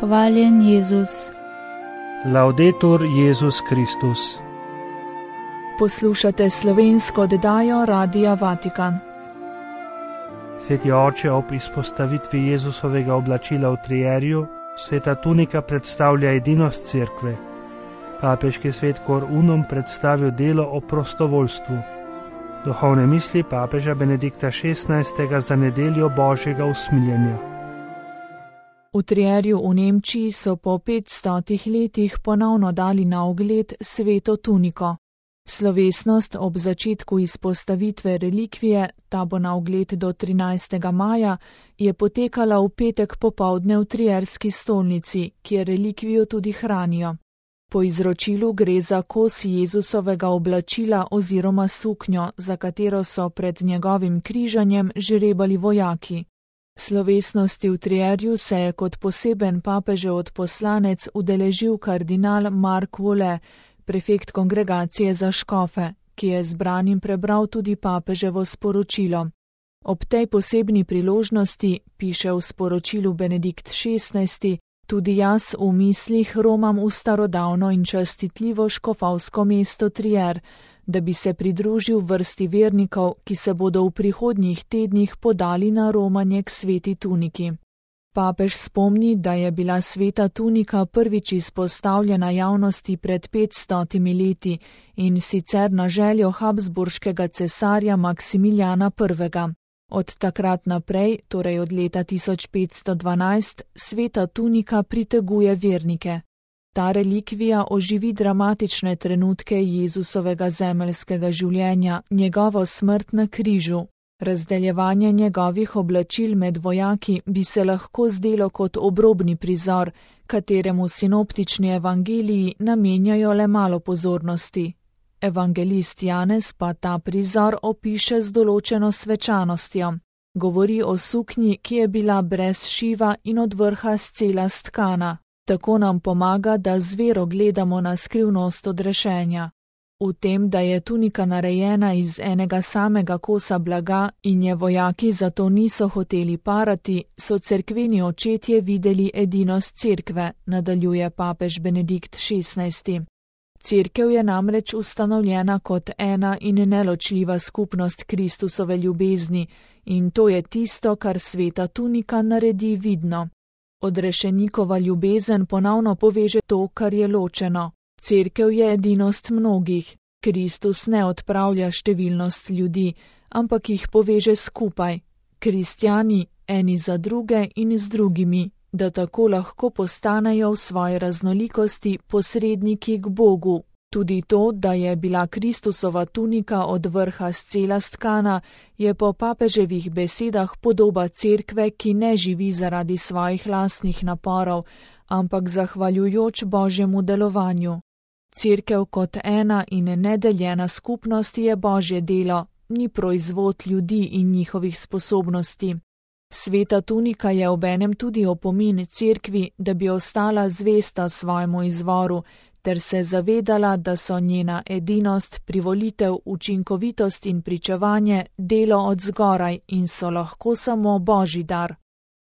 Hvaljen Jezus. Laudetur Jezus Kristus. Poslušate slovensko oddajo Radia Vatikan. Sveti oče, ob izpostavitvi Jezusovega oblačila v trierju, sveta tunika predstavlja edinost cerkve. Papeški svet Cor Unum predstavil delo o prostovoljstvu. Duhovne misli papeža Benedikta XVI. Za nedeljo Božjega usmiljenja. V Trierju v Nemčiji so po 500 letih ponovno dali na ogled sveto tuniko. Slovesnost ob začetku izpostavitve relikvije, ta bo na ogled do 13. maja, je potekala v petek popoldne v Trierski stolnici, kjer relikvijo tudi hranijo. Po izročilu gre za kos Jezusovega oblačila oziroma suknjo, za katero so pred njegovim križanjem žrebali vojaki. Slovesnosti v Trierju se je kot poseben papežev odposlanec udeležil kardinal Mark Vole, prefekt kongregacije za škofe, ki je zbranim prebral tudi papeževo sporočilo. Ob tej posebni priložnosti, piše v sporočilu Benedikt XVI, tudi jaz v mislih romam v starodavno in častitljivo škofovsko mesto Trier, da bi se pridružil vrsti vernikov, ki se bodo v prihodnjih tednih podali na romanje k sveti tuniki. Papež spomni, da je bila sveta tunika prvič izpostavljena javnosti pred 500 leti in sicer na željo habsburškega cesarja Maksimiljana I. Od takrat naprej, torej od leta 1512, sveta tunika priteguje vernike. Ta relikvija oživi dramatične trenutke Jezusovega zemeljskega življenja, njegovo smrt na križu. Razdeljevanje njegovih oblačil med vojaki bi se lahko zdelo kot obrobni prizor, kateremu sinoptični evangeliji namenjajo le malo pozornosti. Evangelist Janez pa ta prizor opiše z določeno svečanostjo. Govori o suknji, ki je bila brez šiva in od vrha scela stkana. Tako nam pomaga, da z vero gledamo na skrivnost odrešenja. V tem, da je tunika narejena iz enega samega kosa blaga in je vojaki zato niso hoteli parati, so cerkveni očetje videli edinost cerkve, nadaljuje papež Benedikt XVI. Cerkev je namreč ustanovljena kot ena in neločljiva skupnost Kristusove ljubezni in to je tisto, kar sveta tunika naredi vidno. Odrešenikova ljubezen ponovno poveže to, kar je ločeno. Cerkev je edinost mnogih. Kristus ne odpravlja številnost ljudi, ampak jih poveže skupaj. Kristjani eni za druge in z drugimi, da tako lahko postanejo v svoji raznolikosti posredniki k Bogu. Tudi to, da je bila Kristusova tunika od vrha scela stkana, je po papeževih besedah podoba cerkve, ki ne živi zaradi svojih lastnih naporov, ampak zahvaljujoč Božjemu delovanju. Cerkev kot ena in nedeljena skupnost je Božje delo, ni proizvod ljudi in njihovih sposobnosti. Sveta tunika je obenem tudi opomin cerkvi, da bi ostala zvesta svojemu izvoru, ter se zavedala, da so njena edinost, privolitev, učinkovitost in pričevanje delo od zgoraj in so lahko samo Božji dar.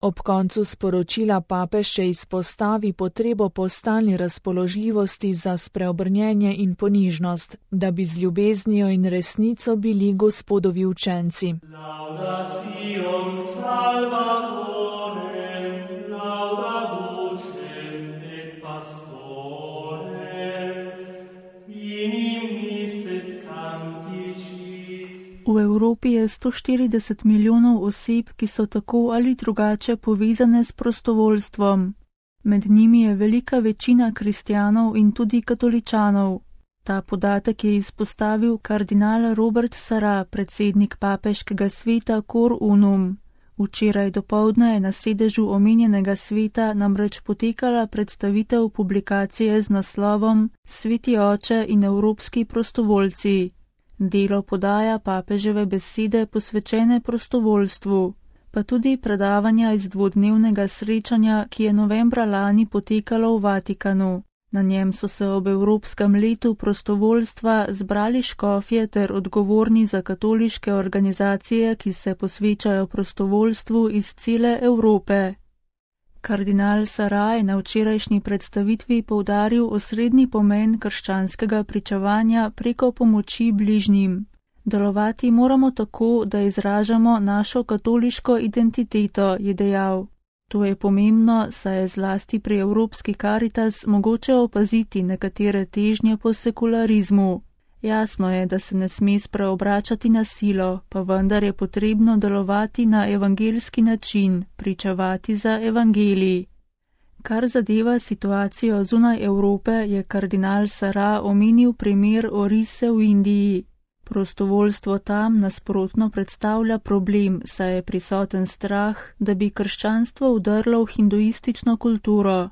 Ob koncu sporočila papež še izpostavi potrebo po stalni razpoložljivosti za spreobrnjenje in ponižnost, da bi z ljubeznijo in resnico bili Gospodovi učenci. V Evropi je 140 milijonov oseb, ki so tako ali drugače povezane s prostovoljstvom. Med njimi je velika večina kristjanov in tudi katoličanov. Ta podatek je izpostavil kardinal Robert Sarah, predsednik papeškega sveta Cor Unum. Včeraj dopoldne je na sedežu omenjenega sveta namreč potekala predstavitev publikacije z naslovom Sveti oče in evropski prostovoljci. Delo podaja papeževe besede posvečene prostovoljstvu, pa tudi predavanja iz dvodnevnega srečanja, ki je novembra lani potekalo v Vatikanu. Na njem so se ob Evropskem letu prostovoljstva zbrali škofje ter odgovorni za katoliške organizacije, ki se posvečajo prostovoljstvu iz cele Evrope. Kardinal Sarah je na včerajšnji predstavitvi poudaril osrednji pomen krščanskega pričevanja preko pomoči bližnjim. Delovati moramo tako, da izražamo našo katoliško identiteto, je dejal. To je pomembno, saj je zlasti pri Evropski Karitas mogoče opaziti nekatere težnje po sekularizmu. Jasno je, da se ne sme spreobračati na silo, pa vendar je potrebno delovati na evangeljski način, pričevati za evangelij. Kar zadeva situacijo zunaj Evrope, je kardinal Sarah omenil primer Orise v Indiji. Prostovoljstvo tam nasprotno predstavlja problem, saj je prisoten strah, da bi krščanstvo vdrlo v hinduistično kulturo.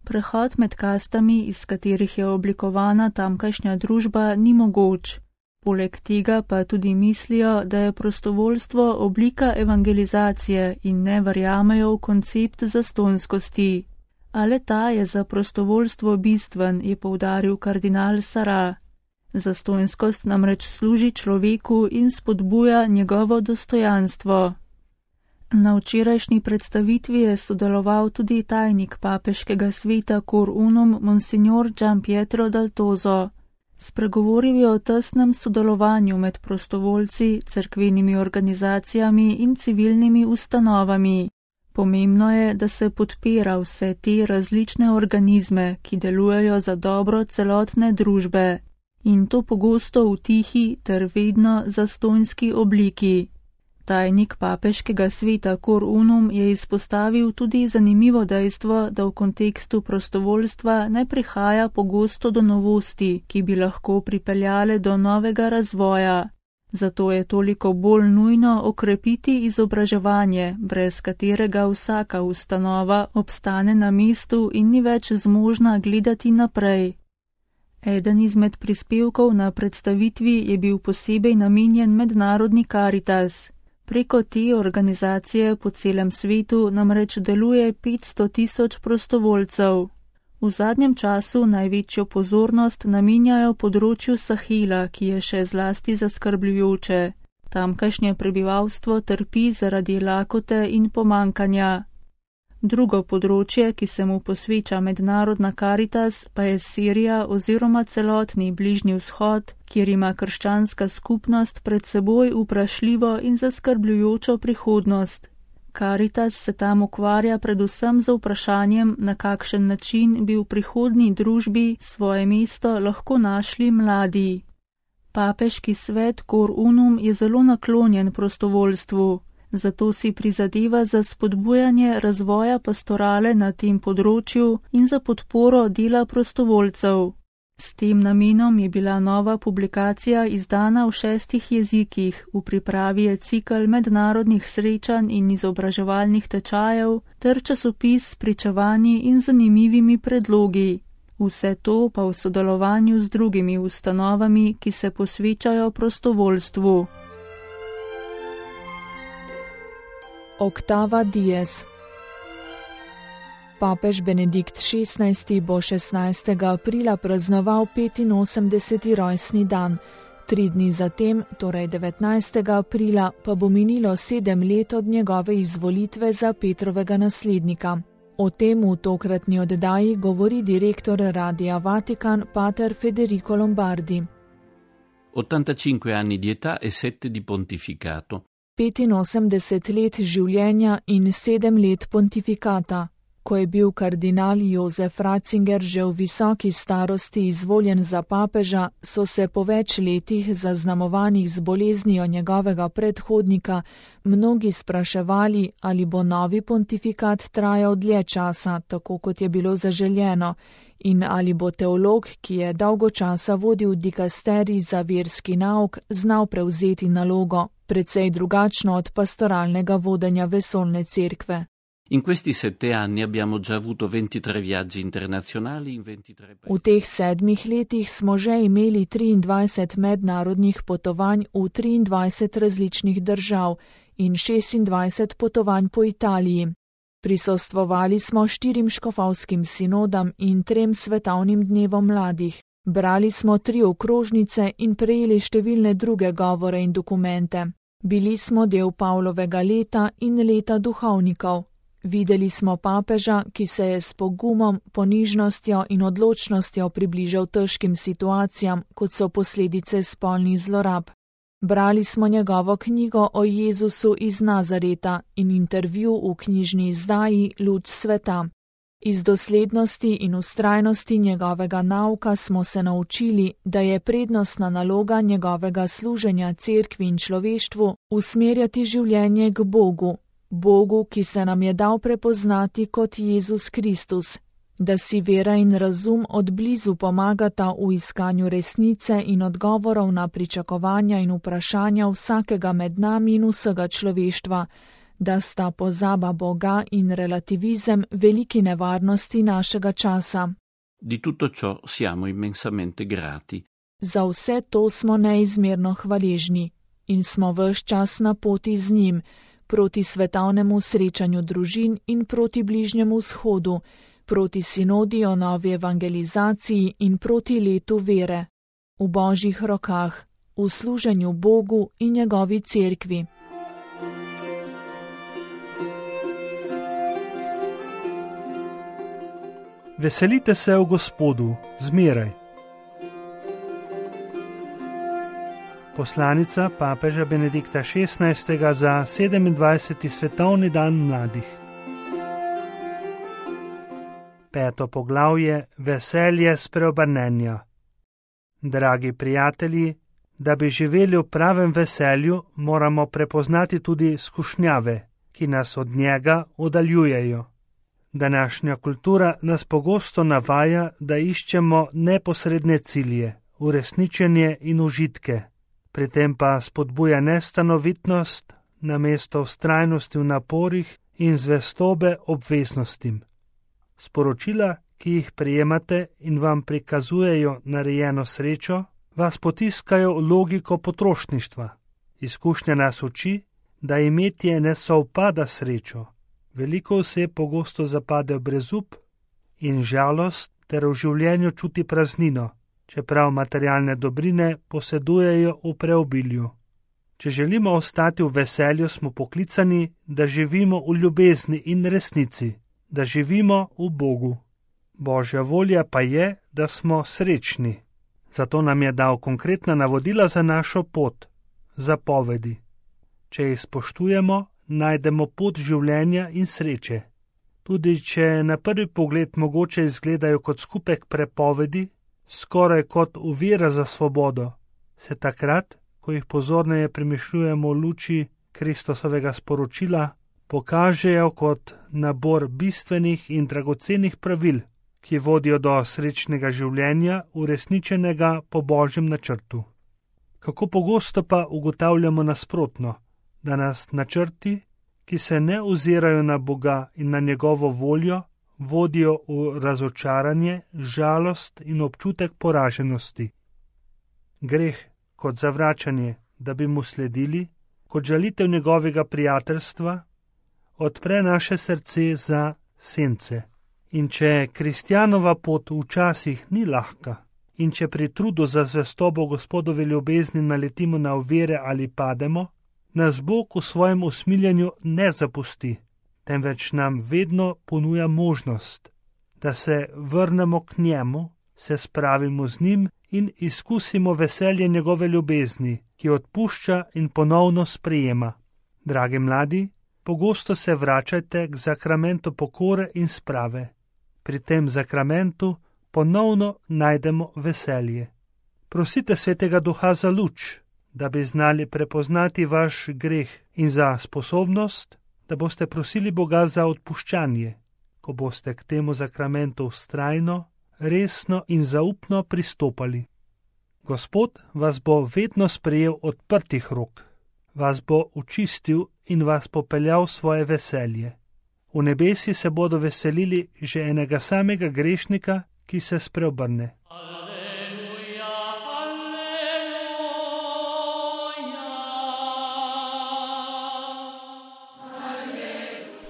Prehod med kastami, iz katerih je oblikovana tamkajšnja družba, ni mogoč. Poleg tega pa tudi mislijo, da je prostovoljstvo oblika evangelizacije in ne verjamejo v koncept zastonskosti. Ale ta je za prostovoljstvo bistven, je poudaril kardinal Sarah. Zastonskost namreč služi človeku in spodbuja njegovo dostojanstvo. Na včerajšnji predstavitvi je sodeloval tudi tajnik papeškega sveta Cor Unum Monsignor Gian Pietro Dal Tozo. Spregovoril je o tesnem sodelovanju med prostovoljci, cerkvenimi organizacijami in civilnimi ustanovami. Pomembno je, da se podpira vse te različne organizme, ki delujejo za dobro celotne družbe. In to pogosto v tihi ter vedno zastonjski obliki. Tajnik papeškega sveta Cor Unum je izpostavil tudi zanimivo dejstvo, da v kontekstu prostovoljstva ne prihaja pogosto do novosti, ki bi lahko pripeljale do novega razvoja. Zato je toliko bolj nujno okrepiti izobraževanje, brez katerega vsaka ustanova obstane na mestu in ni več zmožna gledati naprej. Eden izmed prispevkov na predstavitvi je bil posebej namenjen Mednarodni Karitas. Preko te organizacije po celem svetu namreč deluje 500 000 prostovoljcev. V zadnjem času največjo pozornost namenjajo področju Sahela, ki je še zlasti zaskrbljujoče. Tamkajšnje prebivalstvo trpi zaradi lakote in pomankanja. Drugo področje, ki se mu posveča Mednarodna Karitas, pa je Sirija oziroma celotni Bližnji vzhod, kjer ima krščanska skupnost pred seboj vprašljivo in zaskrbljujočo prihodnost. Karitas se tam ukvarja predvsem z vprašanjem, na kakšen način bi v prihodnji družbi svoje mesto lahko našli mladi. Papeški svet Cor Unum je zelo naklonjen prostovoljstvu. Zato si prizadeva za spodbujanje razvoja pastorale na tem področju in za podporo dela prostovoljcev. S tem namenom je bila nova publikacija izdana v 6 jezikih, v pripravi je cikel mednarodnih srečanj in izobraževalnih tečajev ter časopis s pričevanji in zanimivimi predlogi. Vse to pa v sodelovanju z drugimi ustanovami, ki se posvečajo prostovoljstvu. Octava Dies. Papež Benedikt XVI bo 16. aprila praznoval 85. rojstni dan. 3 dni zatem, torej 19. aprila, pa bo minilo 7 let od njegove izvolitve za Petrovega naslednika. O tem v tokratni oddaji govori direktor Radia Vatikan, pater Federico Lombardi. 85 anni di età e 7 di pontificato. 85 let življenja in 7 let pontifikata. Ko je bil kardinal Jozef Ratzinger že v visoki starosti izvoljen za papeža, so se po več letih zaznamovanih z boleznijo njegovega predhodnika mnogi spraševali, ali bo novi pontifikat trajal dlje časa, tako kot je bilo zaželjeno, in ali bo teolog, ki je dolgo časa vodil dikasterij za verski nauk, znal prevzeti nalogo, precej drugačno od pastoralnega vodenja vesoljne cerkve. In questi 7 anni abbiamo già avuto 23 viaggi internazionali in 23 paesi. V teh 7 letih smo že imeli 23 mednarodnih potovanj v 23 različnih držav in 26 potovanj po Italiji. Prisostvovali smo 4 škofovskim sinodam in 3 svetovnim dnevom mladih. Brali smo 3 okrožnice in prejeli številne druge govore in dokumente. Bili smo del Pavlovega leta in leta duhovnikov. Videli smo papeža, ki se je s pogumom, ponižnostjo in odločnostjo približal težkim situacijam, kot so posledice spolnih zlorab. Brali smo njegovo knjigo o Jezusu iz Nazareta in intervju v knjižni izdaji Luč sveta. Iz doslednosti in vztrajnosti njegovega nauka smo se naučili, da je prednostna naloga njegovega služenja cerkvi in človeštvu usmerjati življenje k Bogu, Bogu, ki se nam je dal prepoznati kot Jezus Kristus, da si vera in razum od blizu pomagata v iskanju resnice in odgovorov na pričakovanja in vprašanja vsakega med nami in vsega človeštva, da sta pozaba Boga in relativizem veliki nevarnosti našega časa. Di tutto ciò siamo immensamente grati. Za vse to smo neizmerno hvaležni in smo ves čas na poti z njim, proti svetovnemu srečanju družin in proti bližnjemu vzhodu, proti sinodi o novi evangelizaciji in proti letu vere. V Božjih rokah, v služenju Bogu in njegovi cerkvi. Veselite se v Gospodu, zmeraj. Poslanica papeža Benedikta XVI. Za 27. svetovni dan mladih. 5. poglavje Veselje spreobrnenja. Dragi prijatelji, da bi živeli v pravem veselju, moramo prepoznati tudi skušnjave, ki nas od njega oddaljujejo. Današnja kultura nas pogosto navaja, da iščemo neposredne cilje, uresničenje in užitke, pri tem pa spodbuja nestanovitnost namesto vztrajnosti v naporih in zvestobe obveznostim. Sporočila, ki jih prejemate in vam prikazujejo narejeno srečo, vas potiskajo v logiko potrošništva. Izkušnja nas uči, da imetje ne sovpada srečo. Veliko oseb pogosto zapade v brezup in žalost ter v življenju čuti praznino, čeprav materialne dobrine posedujejo v preobilju. Če želimo ostati v veselju, smo poklicani, da živimo v ljubezni in resnici, da živimo v Bogu. Božja volja pa je, da smo srečni. Zato nam je dal konkretna navodila za našo pot, zapovedi. Če jih spoštujemo, najdemo pot življenja in sreče. Tudi če na prvi pogled mogoče izgledajo kot skupek prepovedi, skoraj kot ovira za svobodo, se takrat, ko jih pozorneje premišljujemo v luči Kristusovega sporočila, pokažejo kot nabor bistvenih in dragocenih pravil, ki vodijo do srečnega življenja, uresničenega po Božjem načrtu. Kako pogosto pa ugotavljamo nasprotno, da nas načrti, ki se ne ozirajo na Boga in na njegovo voljo, vodijo v razočaranje, žalost in občutek poraženosti. Greh kot zavračanje, da bi mu sledili, kot žalitev njegovega prijateljstva, odpre naše srce za sence. In če kristjanova pot včasih ni lahka, in če pri trudu za zvestobo Gospodovi ljubezni naletimo na ovire ali pademo, nas Bog v svojem usmiljenju ne zapusti, temveč nam vedno ponuja možnost, da se vrnemo k njemu, se spravimo z njim in izkusimo veselje njegove ljubezni, ki odpušča in ponovno sprejema. Dragi mladi, pogosto se vračajte k zakramentu pokore in sprave. Pri tem zakramentu ponovno najdemo veselje. Prosite Svetega Duha za luč, da bi znali prepoznati vaš greh in za sposobnost, da boste prosili Boga za odpuščanje, ko boste k temu zakramentu vztrajno, resno in zaupno pristopali. Gospod vas bo vedno sprejel odprtih rok, vas bo očistil in vas popeljal v svoje veselje. V nebesi se bodo veselili že enega samega grešnika, ki se spreobrne.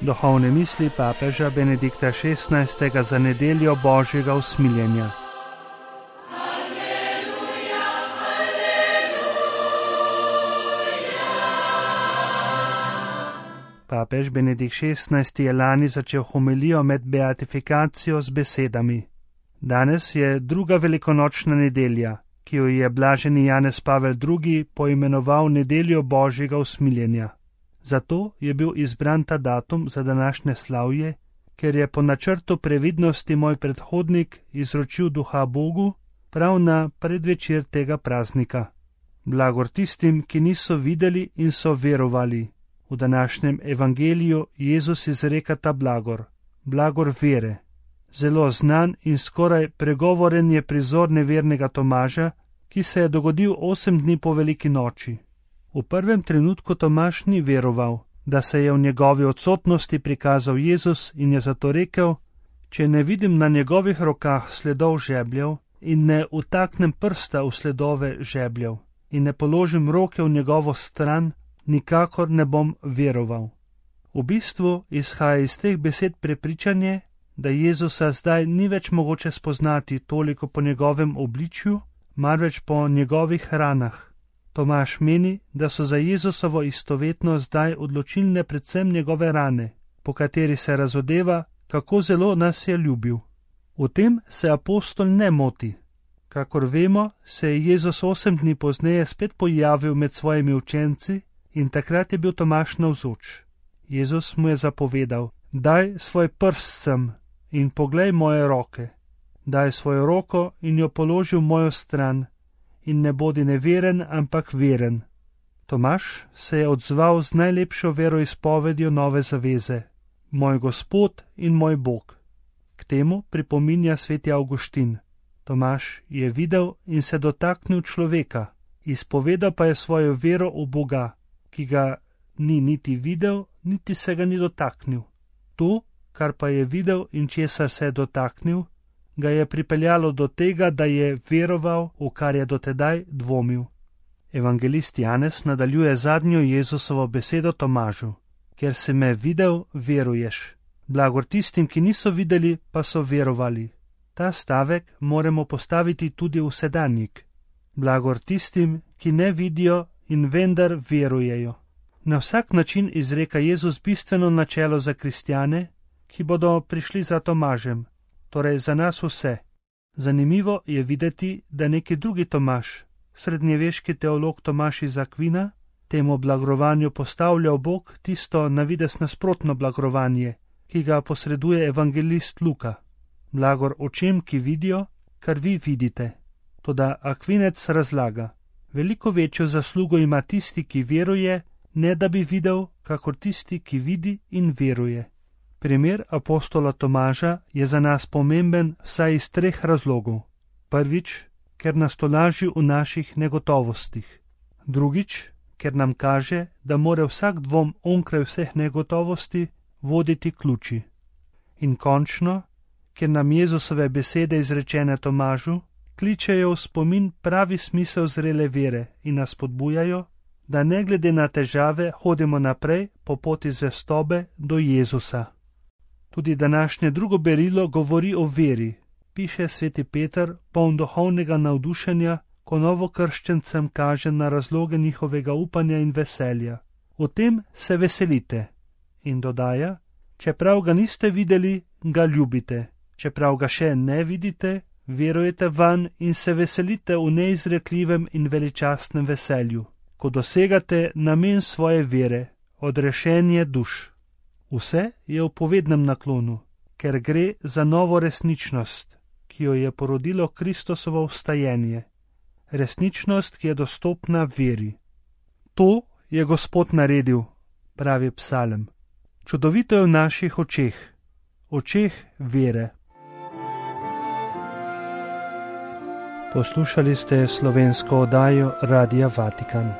Duhovne misli papeža Benedikta XVI. Za nedeljo Božjega usmiljenja. Papež Benedikt XVI. Je lani začel homilijo med beatifikacijo z besedami: Danes je druga velikonočna nedelja, ki jo je blaženi Janez Pavel II. Poimenoval nedeljo Božjega usmiljenja. Zato je bil izbran ta datum za današnje slavje, ker je po načrtu previdnosti moj predhodnik izročil duha Bogu prav na predvečer tega praznika. Blagor tistim, ki niso videli in so verovali. V današnjem evangeliju Jezus izreka ta blagor, blagor vere. Zelo znan in skoraj pregovoren je prizor nevernega Tomaža, ki se je dogodil 8 dni po veliki noči. V prvem trenutku Tomaž ni veroval, da se je v njegovi odsotnosti prikazal Jezus in je zato rekel: če ne vidim na njegovih rokah sledov žebljev in ne utaknem prsta v sledove žebljev in ne položim roke v njegovo stran, nikakor ne bom veroval. V bistvu izhaja iz teh besed prepričanje, da Jezusa zdaj ni več mogoče spoznati toliko po njegovem obličju, marveč po njegovih ranah. Tomaž meni, da so za Jezusovo istovetnost zdaj odločilne predvsem njegove rane, po kateri se razodeva, kako zelo nas je ljubil. V tem se apostol ne moti. Kakor vemo, se je Jezus 8 dni pozneje spet pojavil med svojimi učenci in takrat je bil Tomaž navzoč. Jezus mu je zapovedal: daj svoj prst sem in poglej moje roke. Daj svojo roko in jo položi v mojo stran in ne bodi neveren, ampak veren. Tomaž se je odzval z najlepšo veroizpovedjo nove zaveze: moj Gospod in moj Bog. K temu pripominja sveti Avguštin. Tomaž je videl in se dotaknil človeka, izpovedal pa je svojo vero v Boga, ki ga ni niti videl, niti se ga ni dotaknil. To, kar pa je videl in česar se je dotaknil, ga je pripeljalo do tega, da je veroval, v kar je dotedaj dvomil. Evangelist Janez nadaljuje zadnjo Jezusovo besedo Tomažu: ker si me videl, veruješ. Blagor tistim, ki niso videli, pa so verovali. Ta stavek moramo postaviti tudi v sedanjik. Blagor tistim, ki ne vidijo in vendar verujejo. Na vsak način izreka Jezus bistveno načelo za kristjane, ki bodo prišli za Tomažem, torej za nas vse. Zanimivo je videti, da neki drugi Tomaž, srednjeveški teolog Tomaž iz Akvina, temu blagorovanju postavlja v bok tisto navidez nasprotno blagoranje, ki ga posreduje evangelist Luka. Blagor očem, ki vidijo, kar vi vidite. Toda Akvinec razlaga: veliko večjo zaslugo ima tisti, ki veruje, ne da bi videl, kakor tisti, ki vidi in veruje. Primer apostola Tomaža je za nas pomemben vsaj iz 3 razlogov. Prvič, ker nas tolaži v naših negotovostih. Drugič, ker nam kaže, da mora vsak dvom onkraj vseh negotovosti voditi ključi. In končno, ker nam Jezusove besede izrečene Tomažu kličejo v spomin pravi smisel zrele vere in nas spodbujajo, da ne glede na težave hodimo naprej po poti zvestobe do Jezusa. Tudi današnje drugo berilo govori o veri, piše sveti Peter, poln duhovnega navdušenja, ko novokrščencem kaže na razloge njihovega upanja in veselja. V tem se veselite. In dodaja: čeprav ga niste videli, ga ljubite. Čeprav ga še ne vidite, verujete vanj in se veselite v neizrekljivem in veličastnem veselju, ko dosegate namen svoje vere, odrešenje duš. Vse je v povednem naklonu, ker gre za novo resničnost, ki jo je porodilo Kristusovo vstajenje. Resničnost, ki je dostopna veri. To je Gospod naredil, pravi psalem. Čudovito je v naših očeh vere. Poslušali ste slovensko oddajo Radia Vatikan.